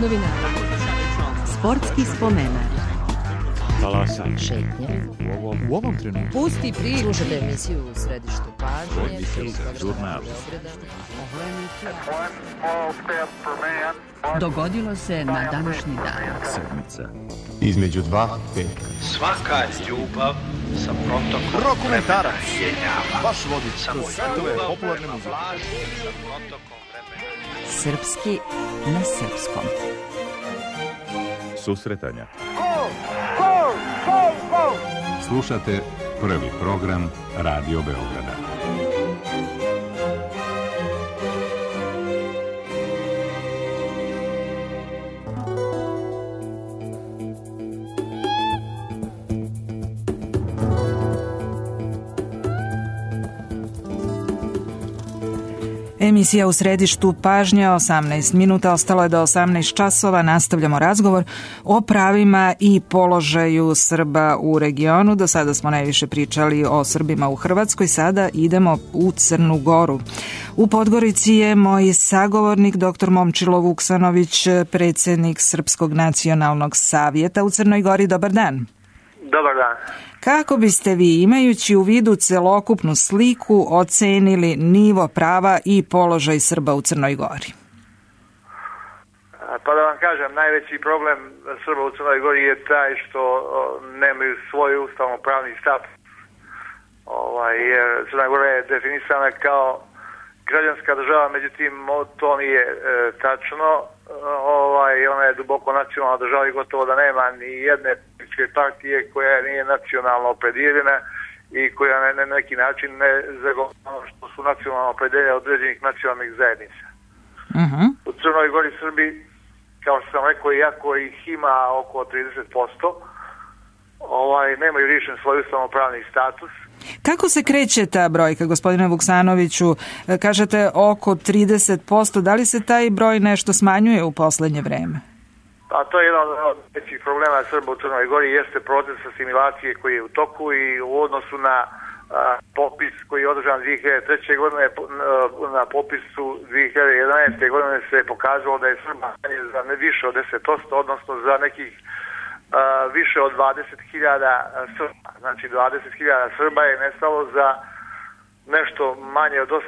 [SPEAKER 16] Novinara. Sportski spomenar.
[SPEAKER 7] talasa.
[SPEAKER 20] Šetnje.
[SPEAKER 7] U ovom trenutku.
[SPEAKER 20] Pusti priču. Slušajte emisiju u Središtu pažnje.
[SPEAKER 7] Žurnal.
[SPEAKER 20] Dogodilo se na današnji dan.
[SPEAKER 7] Sedmica.
[SPEAKER 21] Između dva petka.
[SPEAKER 22] Svaka ljubav sa protokom
[SPEAKER 21] Rokomentarac.
[SPEAKER 22] Baš vodi samo
[SPEAKER 21] svetove popularne muzike.
[SPEAKER 22] Sa protokom vremena.
[SPEAKER 20] Srpski na srpskom.
[SPEAKER 21] Susretanja.
[SPEAKER 22] Go!
[SPEAKER 21] Slušate prvi program Radio Beograda.
[SPEAKER 1] Emisija u središtu pažnja, 18 minuta, ostalo je do 18 časova, nastavljamo razgovor o pravima i položaju Srba u regionu. Do sada smo najviše pričali o Srbima u Hrvatskoj, sada idemo u Crnu Goru. U Podgorici je moj sagovornik, dr. Momčilo Vuksanović, predsjednik Srpskog nacionalnog savjeta u Crnoj Gori. Dobar dan.
[SPEAKER 6] Dobar dan.
[SPEAKER 1] Kako biste vi, imajući u vidu celokupnu sliku, ocenili nivo prava i položaj Srba u Crnoj Gori?
[SPEAKER 6] Pa da vam kažem, najveći problem Srba u Crnoj Gori je taj što nemaju svoj ustavno-pravni status. Jer Crna Gora je definisana kao građanska država, međutim to nije tačno. Ona je duboko nacionalna država i gotovo da nema ni jedne političke partije koja nije nacionalno opredjeljena i koja na neki način ne zagovara što su nacionalno opredjeljenja određenih nacionalnih zajednica. U Crnoj Gori Srbi, kao što sam rekao, iako ih ima oko 30%, nemaju riješen svoj ustavno-pravni status.
[SPEAKER 1] Kako se kreće ta brojka, gospodine Vuksanoviću? Kažete oko 30%. Da li se taj broj nešto smanjuje u poslednje vreme?
[SPEAKER 6] A to je jedan od većih problema Srba u Crnoj Gori, jeste proces asimilacije koji je u toku i u odnosu na popis koji je održan 2003. godine, na popisu 2011. godine se pokazalo da je Srba za ne više od 10%, odnosno za nekih više od 20.000 Srba. Znači 20.000 Srba je nestalo za nešto manje od 8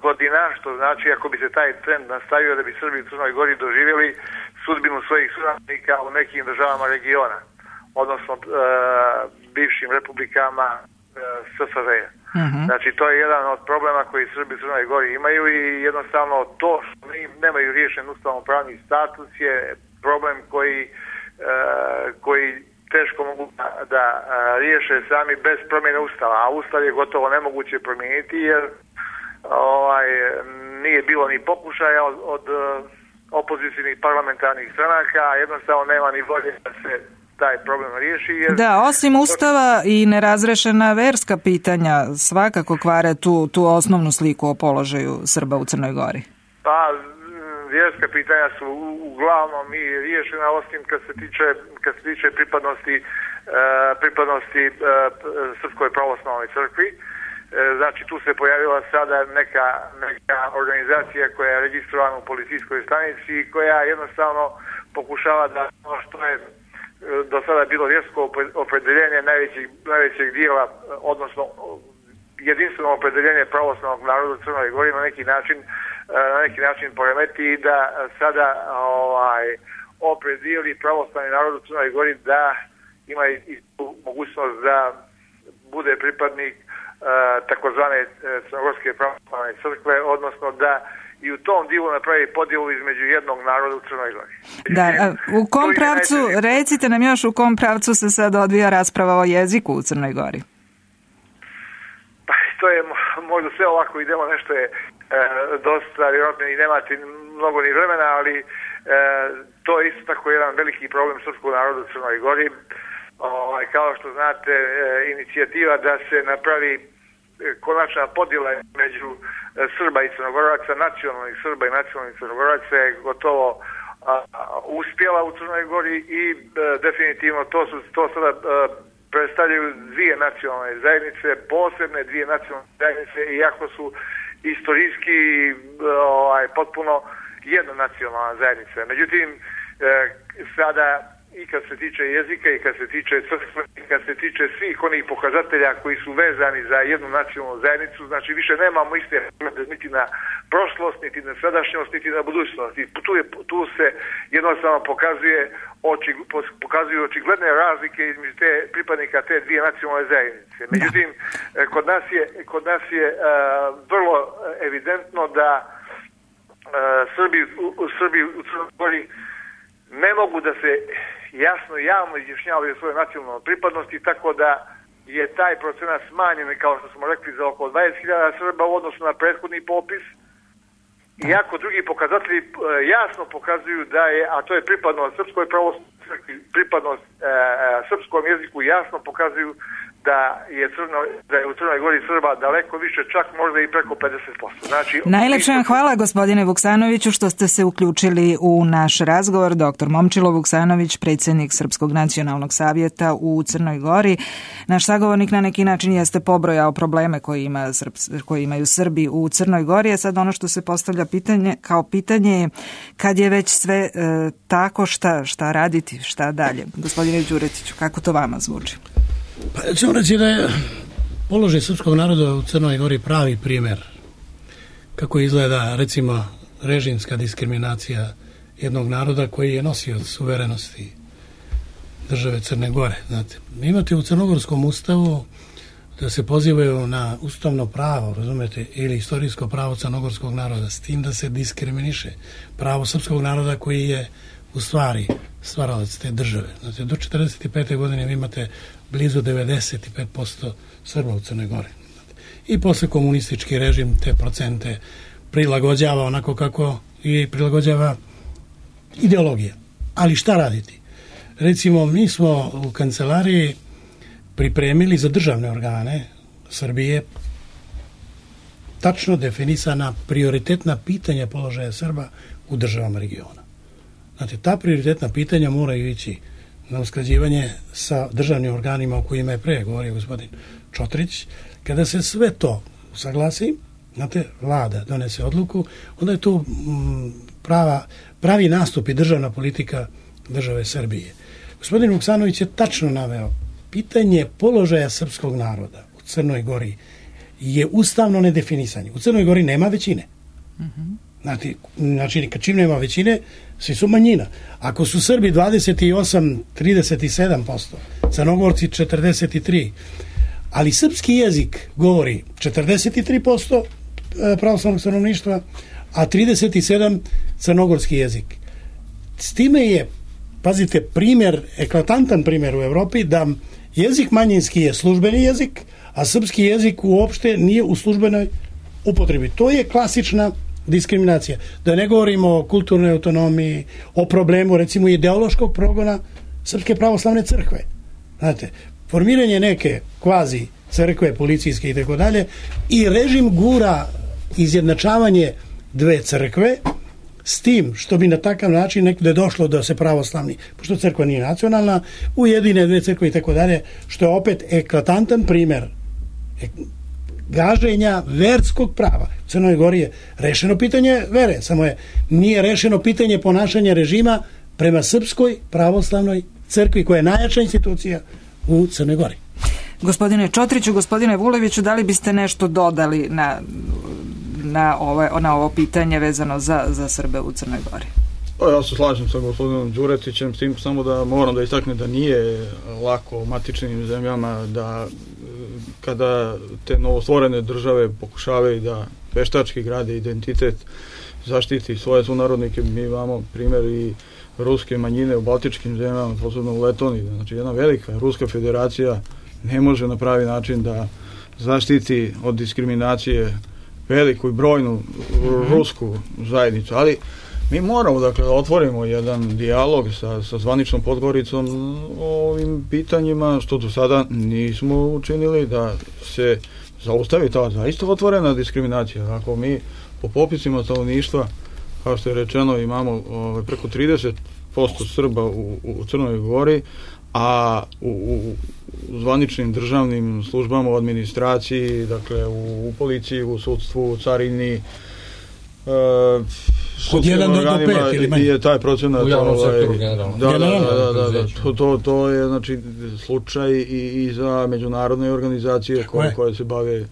[SPEAKER 6] godina, što znači ako bi se taj trend nastavio da bi Srbi u Crnoj Gori doživjeli sudbinu svojih suradnika u nekim državama regiona, odnosno bivšim republikama SFRJ. Znači to je jedan od problema koji Srbi u Crnoj Gori imaju i jednostavno to što nemaju riješen ustavno-pravni status je problem koji teško mogu da riješe sami bez promjene ustava, a ustav je gotovo nemoguće promijeniti jer nije bilo ni pokušaja od opozicijnih parlamentarnih stranaka, a jednostavno nema ni volje da se taj problem riješi.
[SPEAKER 1] Da, osim ustava i nerazrešena verska pitanja svakako kvare tu osnovnu sliku o položaju Srba u Crnoj Gori.
[SPEAKER 6] Pa, vjerska pitanja su uglavnom i riješena, osim kad se tiče pripadnosti Srpskoj pravoslavnoj crkvi. Znači tu se pojavila sada neka organizacija koja je registrovana u policijskoj stanici i koja jednostavno pokušava da ono što je do sada bilo vjersko opredeljenje najvećeg dijela, odnosno jedinstveno opredeljenje pravoslavnog naroda u Crnoj Gori na neki način poremeti i da sada opredijeli pravoslavni narod u Crnoj Gori da ima i mogućnost da bude pripadnik takozvane crnogorske pravoslavne crkve, odnosno da i u tom dijelu napravi podjelu između jednog naroda u Crnoj Gori.
[SPEAKER 1] Da, u kom pravcu, recite nam još u kom pravcu se sad odvija rasprava o jeziku u Crnoj Gori?
[SPEAKER 6] Pa to je možda sve ovako idemo, nešto je dosta, vjerojatno i nemate mnogo ni vremena, ali to je isto tako jedan veliki problem srpskog naroda u Crnoj Gori. Kao što znate, inicijativa da se napravi konačna podjela među Srba i Crnogoraca, nacionalnih Srba i nacionalnih Crnogoraca je gotovo uspjela u Crnoj Gori i definitivno to sada predstavljaju dvije nacionalne zajednice, posebne dvije nacionalne zajednice, iako su istorijski potpuno jedna nacionalna zajednica. Međutim, sada i kad se tiče jezika i kad se tiče crkve i kad se tiče svih onih pokazatelja koji su vezani za jednu nacionalnu zajednicu, znači više nemamo iste niti na prošlost, niti na sadašnjost, niti na budućnost. I tu se jednostavno pokazuju očigledne razlike između pripadnika te dvije nacionalne zajednice. Međutim, kod nas je vrlo evidentno da Srbi u Crnoj Gori ne mogu da se jasno i javno izjašnjavaju o svojoj nacionalnoj pripadnosti, tako da je taj procenat smanjen, kao što smo rekli, za oko 20.000 Srba u odnosu na prethodni popis. Iako drugi pokazatelji jasno pokazuju da je, a to je pripadnost Srpskoj pravoslavnoj crkvi, pripadnost srpskom jeziku, jasno pokazuju da je u Crnoj Gori Srba daleko više, čak možda i preko 50%. Znači,
[SPEAKER 1] najlepše vam hvala, gospodine Vuksanoviću, što ste se uključili u naš razgovor. Dr. Momčilo Vuksanović, predsjednik Srpskog nacionalnog savjeta u Crnoj Gori. Naš sagovornik na neki način jeste pobrojao probleme koje imaju Srbi u Crnoj Gori, a sad ono što se postavlja pitanje je kad je već sve tako, šta raditi, šta dalje? Gospodine Đuretiću, kako to vama zvuči?
[SPEAKER 3] Pa ćemo reći da je položaj srpskog naroda u Crnoj Gori pravi primjer kako izgleda, recimo, režimska diskriminacija jednog naroda koji je nosio suverenosti države Crne Gore. Znate, imate u crnogorskom ustavu da se pozivaju na ustavno pravo, razumete, ili istorijsko pravo crnogorskog naroda, s tim da se diskriminiše pravo srpskog naroda koji je u stvari stvaralac te države. Znate, do 1945. godine vi imate blizu 95% Srba u Crnoj Gori. I posle komunistički režim te procente prilagođava onako kako i prilagođava ideologija. Ali šta raditi? Recimo, mi smo u kancelariji pripremili za državne organe Srbije tačno definisana prioritetna pitanja položaja Srba u državama regiona. Znate, ta prioritetna pitanja moraju ići na usklađivanje sa državnim organima o kojima je pre govorio gospodin Čotrić. Kada se sve to usaglasi, znate, vlada donese odluku, onda je tu pravi nastup i državna politika države Srbije. Gospodin Vuksanović je tačno naveo pitanje položaja srpskog naroda u Crnoj Gori je ustavno nedefinisanje. U Crnoj Gori nema većine. Znači, čim nema većine, svi su manjina. Ako su Srbi 28-37%, Crnogorci 43%, ali srpski jezik govori 43% pravoslavnog stanovništva, a 37% crnogorski jezik. S time je, pazite, eklatantan primjer u Evropi da jezik manjinski je službeni jezik, a srpski jezik uopšte nije u službenoj upotrebi. To je klasična diskriminacija. Da ne govorimo o kulturnoj autonomiji, o problemu, recimo, ideološkog progona Srpske pravoslavne crkve. Znate, formiranje neke kvazi crkve, policijske i tako dalje, i režim gura izjednačavanje dve crkve, s tim što bi na takav način nekde došlo da se pravoslavni, pošto crkva nije nacionalna, ujedine dve crkve i tako dalje, što je opet eklatantan primjer gaženja verskog prava. U Crnoj Gori je rešeno pitanje vere, samo nije rešeno pitanje ponašanja režima prema Srpskoj pravoslavnoj crkvi, koja je najjača institucija u Crnoj Gori.
[SPEAKER 1] Gospodine Čotriću, gospodine Vuleviću, da li biste nešto dodali na ovo pitanje vezano za Srbe u Crnoj Gori?
[SPEAKER 2] Ja se slažem sa gospodinom Đuretićem, s tim samo da moram da istaknem da nije lako u matičnim zemljama da kada te novostvorene države pokušavaju da veštački grade identitet, zaštiti svoje sunarodnike. Mi imamo primjer i ruske manjine u baltičkim zemljama, posebno u Letoniji. Znači, jedna velika Ruska federacija ne može na pravi način da zaštiti od diskriminacije veliku i brojnu rusku zajednicu. Ali mi moramo, dakle, da otvorimo jedan dijalog sa zvaničnom Podgoricom o ovim pitanjima, što do sada nismo učinili, da se zaustavi ta zaista otvorena diskriminacija. Ako mi po popisima stanovništva, kao što je rečeno, imamo preko 30% Srba u Crnoj Gori, a u zvaničnim državnim službama, u administraciji, dakle u policiji, u sudstvu, u carini,
[SPEAKER 3] od 1 do 5 ili manje.
[SPEAKER 2] Je taj procenat
[SPEAKER 4] u javnom sektoru generalno.
[SPEAKER 2] To je znači slučaj i za međunarodne organizacije koje se bave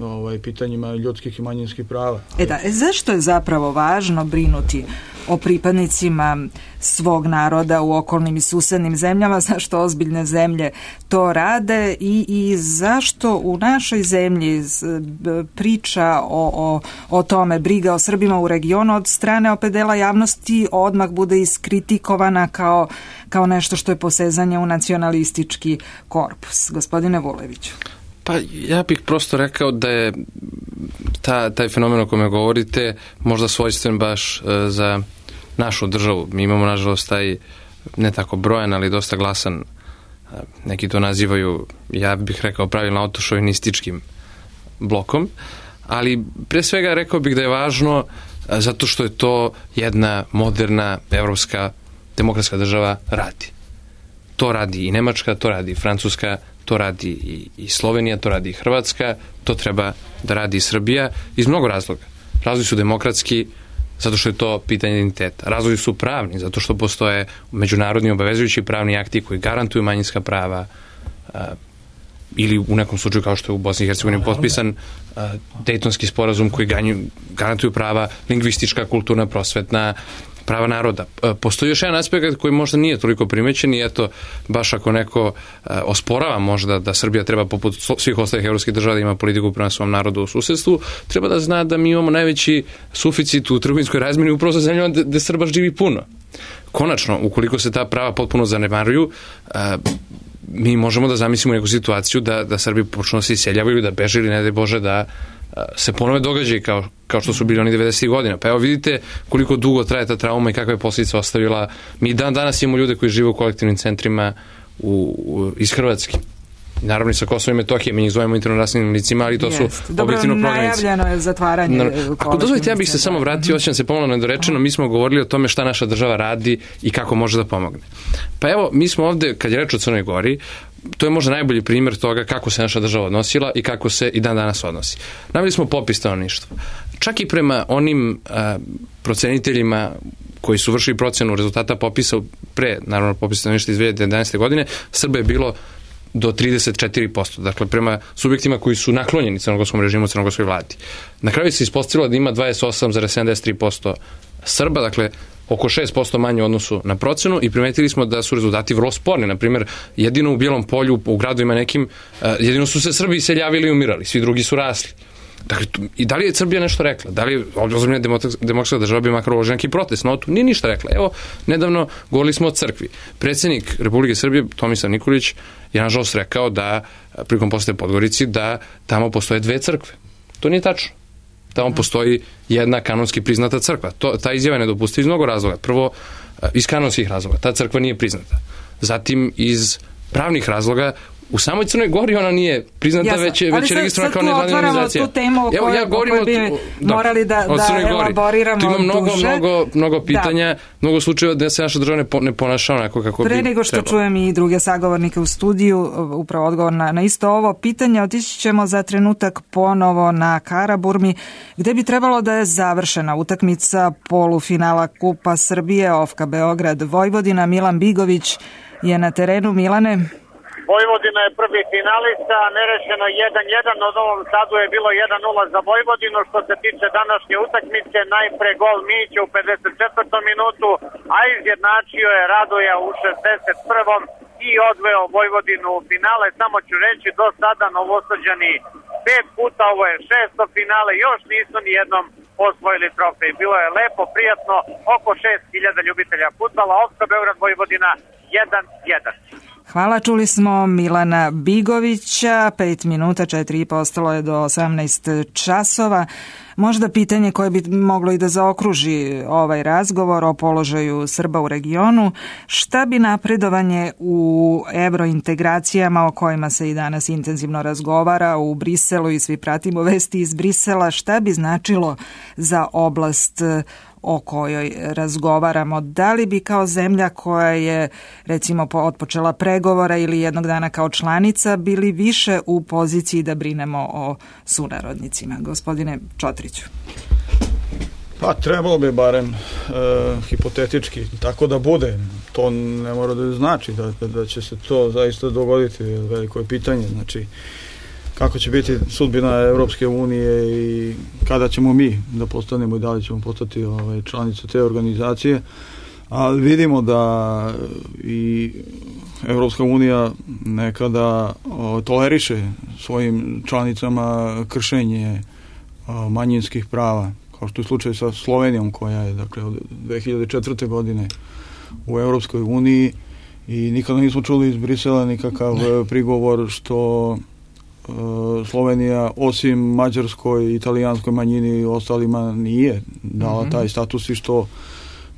[SPEAKER 2] pitanjima ljudskih i manjinskih prava.
[SPEAKER 1] Zašto je zapravo važno brinuti o pripadnicima svog naroda u okolnim i susednim zemljama, zašto ozbiljne zemlje to rade i zašto u našoj zemlji priča o tome, briga o Srbima u regionu od strane opet dela javnosti odmah bude iskritikovana kao nešto što je posezanje u nacionalistički korpus. Gospodine Vuleviću.
[SPEAKER 4] Pa ja bih prosto rekao da je taj fenomen o kome govorite možda svojstven baš za našu državu. Mi imamo nažalost taj ne tako brojan, ali dosta glasan, neki to nazivaju, ja bih rekao pravilno, autošovinističkim blokom, ali pre svega rekao bih da je važno zato što je to jedna moderna evropska demokratska država radi. To radi i Nemačka, to radi i Francuska, to radi i Slovenija, to radi i Hrvatska, to treba da radi i Srbija iz mnogo razloga. Razlozi su demokratski, zato što je to pitanje identiteta. Razlozi su pravni, zato što postoje međunarodni obavezujući pravni akti koji garantuju manjinska prava, ili u nekom slučaju kao što je u Bosni i Hercegovini potpisan Dejtonski sporazum koji garantuju prava lingvistička, kulturna, prosvetna, prava naroda. Postoji još jedan aspekt koji možda nije toliko primećen i eto, baš ako neko osporava možda da Srbija treba poput svih ostalih evropskih država da ima politiku prema svom narodu u susedstvu, treba da zna da mi imamo najveći suficit u trgovinskoj razmjeni upravo sa zemljama gde Srba živi puno. Konačno, ukoliko se ta prava potpuno zanemaruju, mi možemo da zamislimo neku situaciju da Srbi počnu da se iseljavaju, da beže ili ne daj Bože da se ponove događaj kao što su bili oni 90. godina. Pa evo vidite koliko dugo traje ta trauma i kakve posljedice ostavila. Mi danas imamo ljude koji žive u kolektivnim centrima iz Hrvatske. Naravno i sa Kosova i Metohije, mi njih zovemo internacionalnim licima, ali to su objektivno prognanici.
[SPEAKER 1] Najavljeno je zatvaranje.
[SPEAKER 4] Ako dozvolite, ja bih se samo vratio, osjećam se pomalo nedorečeno, mi smo govorili o tome šta naša država radi i kako može da pomogne. Pa evo, mi smo ovde, kad je reč o Crnoj Gori, to je možda najbolji primjer toga kako se naša država odnosila i kako se i dan danas odnosi. Naveli smo popis stanovništva. Čak i prema onim proceniteljima koji su vršili procenu rezultata popisa pre, naravno, popisa stanovništva iz 2011. godine, Srba je bilo do 34%, dakle prema subjektima koji su naklonjeni crnogorskom režimu, crnogorskoj vladi. Na kraju se ispostavilo da ima 28,73% Srba, dakle oko 6% manje u odnosu na procenu i primetili smo da su rezultati vrlo sporni. Naprimjer, jedino u Bijelom Polju, u gradovima nekim, jedino su se Srbi iseljavili i umirali, svi drugi su rasli. Dakle, i da li je Srbija nešto rekla? Da li je ozbiljna demokratska država bi makar uložila neki protest na to? Nije ništa rekla. Evo, nedavno govorili smo o crkvi. Predsjednik Republike Srbije, Tomislav Nikolić, je nažalost rekao da, prilikom posete Podgorici, da tamo postoje 2 crkve. To nije tačno. Tamo postoji jedna kanonski priznata crkva. Ta izjava je nedopustiva iz mnogo razloga. Prvo, iz kanonskih razloga. Ta crkva nije priznata. Zatim, iz pravnih razloga, u samoj Crnoj Gori ona nije priznata, već je registrovana kao nevladina organizacija.
[SPEAKER 1] Tu temu o kojoj bi morali da elaboriramo
[SPEAKER 4] duže. Tu ima mnogo pitanja, mnogo slučajeva da se naša država ne ponaša onako kako bi
[SPEAKER 1] trebalo. Pre nego što čujem i druge sagovornike u studiju, upravo odgovor na isto ovo pitanje, otići ćemo za trenutak ponovo na Karaburmi, gde bi trebalo da je završena utakmica polufinala Kupa Srbije, Ofka Beograd, Vojvodina. Milan Bigović je na terenu. Milane?
[SPEAKER 5] Vojvodina je prvi finalista, nerešeno 1-1, od Novom Sadu je bilo 1-0 za Vojvodinu. Što se tiče današnje utakmice, najpre gol Mića u 54. minutu, a izjednačio je Radoja u 61. i odveo Vojvodinu u finale. Samo ću reći, do sada Novosađani 5 puta, ovo je 6. finale, još nisu ni jednom osvojili trofej. Bilo je lepo, prijatno, oko 6.000 ljubitelja fudbala. Ofka Beograd, Vojvodina 1-1.
[SPEAKER 1] Hvala, čuli smo Milana Bigovića, 5 minuta, 4,5 ostalo je do 18 časova. Možda pitanje koje bi moglo i da zaokruži ovaj razgovor o položaju Srba u regionu, šta bi napredovanje u evrointegracijama o kojima se i danas intenzivno razgovara u Briselu i svi pratimo vesti iz Brisela, šta bi značilo za oblast o kojoj razgovaramo? Da li bi kao zemlja koja je recimo otpočela pregovora ili jednog dana kao članica bili više u poziciji da brinemo o sunarodnicima? Gospodine Čotriću.
[SPEAKER 2] Pa trebalo bi barem hipotetički tako da bude. To ne mora da znači da će se to zaista dogoditi. Veliko je pitanje. Znači, kako će biti sudbina Evropske unije i kada ćemo mi da postanemo i da li ćemo postati članice te organizacije. Ali vidimo da i Evropska unija nekada toleriše svojim članicama kršenje manjinskih prava, kao što je slučaj sa Slovenijom, koja je dakle od 2004. godine u Evropskoj uniji, i nikada nismo čuli iz Brisela nikakav prigovor što Slovenija osim mađarskoj i italijanskoj manjini i ostalima nije dala taj status, i što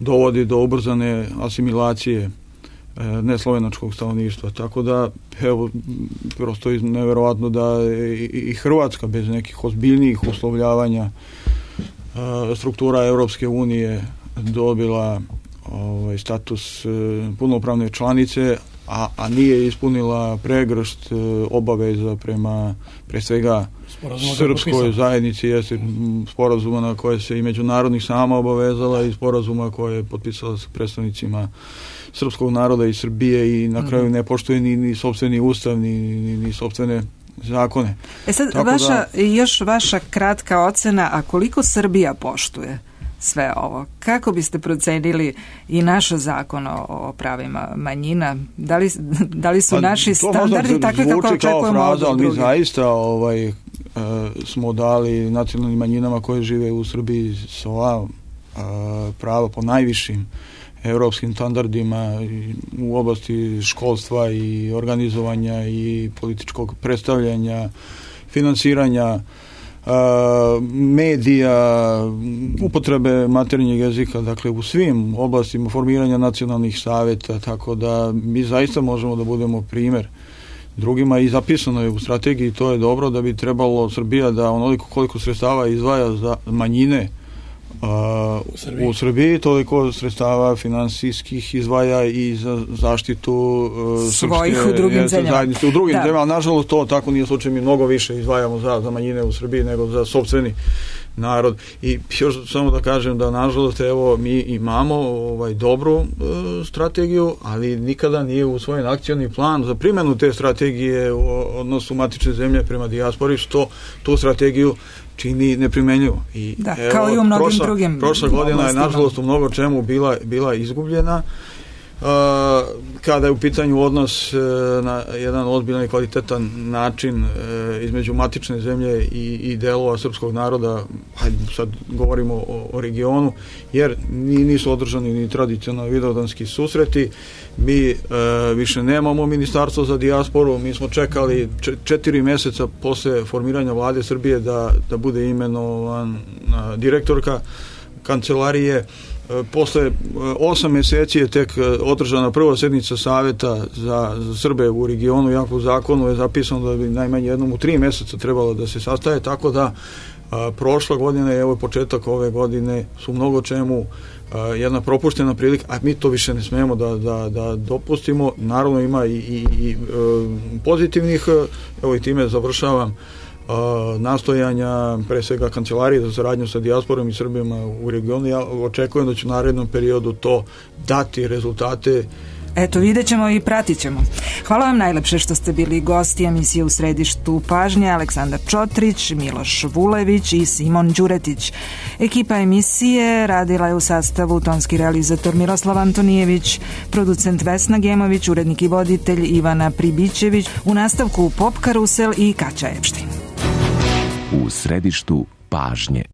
[SPEAKER 2] dovodi do ubrzane asimilacije neslovenačkog stanovništva. Tako da, evo, prosto je neverovatno da i Hrvatska bez nekih ozbiljnijih uslovljavanja struktura Evropske unije dobila status punopravne članice, a nije ispunila pregršt obaveza prema, pre svega, srpskoj zajednici, jeste sporazuma na koje se i međunarodnih sama obavezala i sporazuma koje je potpisala sa predstavnicima srpskog naroda i Srbije, i na kraju ne poštuje ni sopstveni ustav, ni sopstvene zakone.
[SPEAKER 1] Sad, još vaša kratka ocena, a koliko Srbija poštuje sve ovo? Kako biste procenili i naš zakon o pravima manjina? Da li su naši standardi takvi kako očekujemo od drugih?
[SPEAKER 2] Mi zaista smo dali nacionalnim manjinama koje žive u Srbiji sva prava po najvišim evropskim standardima u oblasti školstva i organizovanja i političkog predstavljanja, finansiranja medija, upotrebe materinjeg jezika, dakle u svim oblastima formiranja nacionalnih savjeta, tako da mi zaista možemo da budemo primjer drugima, i zapisano je u strategiji, to je dobro, da bi trebalo Srbija da onoliko koliko sredstava izdvaja za manjine u Srbiji, toliko sredstava finansijskih izdvaja i za zaštitu
[SPEAKER 1] svojih u drugim
[SPEAKER 2] zajednice u drugim zemljama. Nažalost, to tako nije slučaj, mi mnogo više izdvajamo za manjine u Srbiji nego za sopstveni narod. I još samo da kažem da nažalost evo mi imamo dobru strategiju, ali nikada nije usvojen akcioni plan za primjenu te strategije u odnosu matične zemlje prema dijaspori, što tu strategiju čini neprimenljivo. I
[SPEAKER 1] kao i u mnogim drugim
[SPEAKER 2] prošla godina je nažalost u mnogo čemu bila izgubljena. Kada je u pitanju odnos na jedan ozbiljan i kvalitetan način između matične zemlje i delova srpskog naroda, hajde sad govorimo o regionu, jer nisu održani ni tradicionalni vidovdanski susreti. Mi više nemamo ministarstvo za dijasporu, mi smo čekali 4 mjeseca posle formiranja vlade Srbije da bude imenovan direktorka kancelarije. Posle 8 mjeseci je tek održana prva sjednica savjeta za Srbe u regionu, iako u zakonu je zapisano da bi najmanje jednom u 3 mjeseca trebalo da se sastaje, tako da prošla godina i evo početak ove godine su mnogo čemu jedna propuštena prilika, a mi to više ne smemo da dopustimo. Naravno ima i pozitivnih, evo i time završavam, nastojanja, pre svega kancelarije za saradnju sa dijasporom i Srbima u regionu. Ja očekujem da će u narednom periodu to dati rezultate.
[SPEAKER 1] Eto, vidjet ćemo i pratit ćemo. Hvala vam najlepše što ste bili gosti emisije U središtu pažnje. Aleksandar Čotrić, Miloš Vulević i Simon Đuretić. Ekipa emisije radila je u sastavu tonski realizator Miroslav Antonijević, producent Vesna Gemović, urednik i voditelj Ivana Pribićević, u nastavku Pop Karusel i Kaća Epštin.
[SPEAKER 8] U središtu pažnje.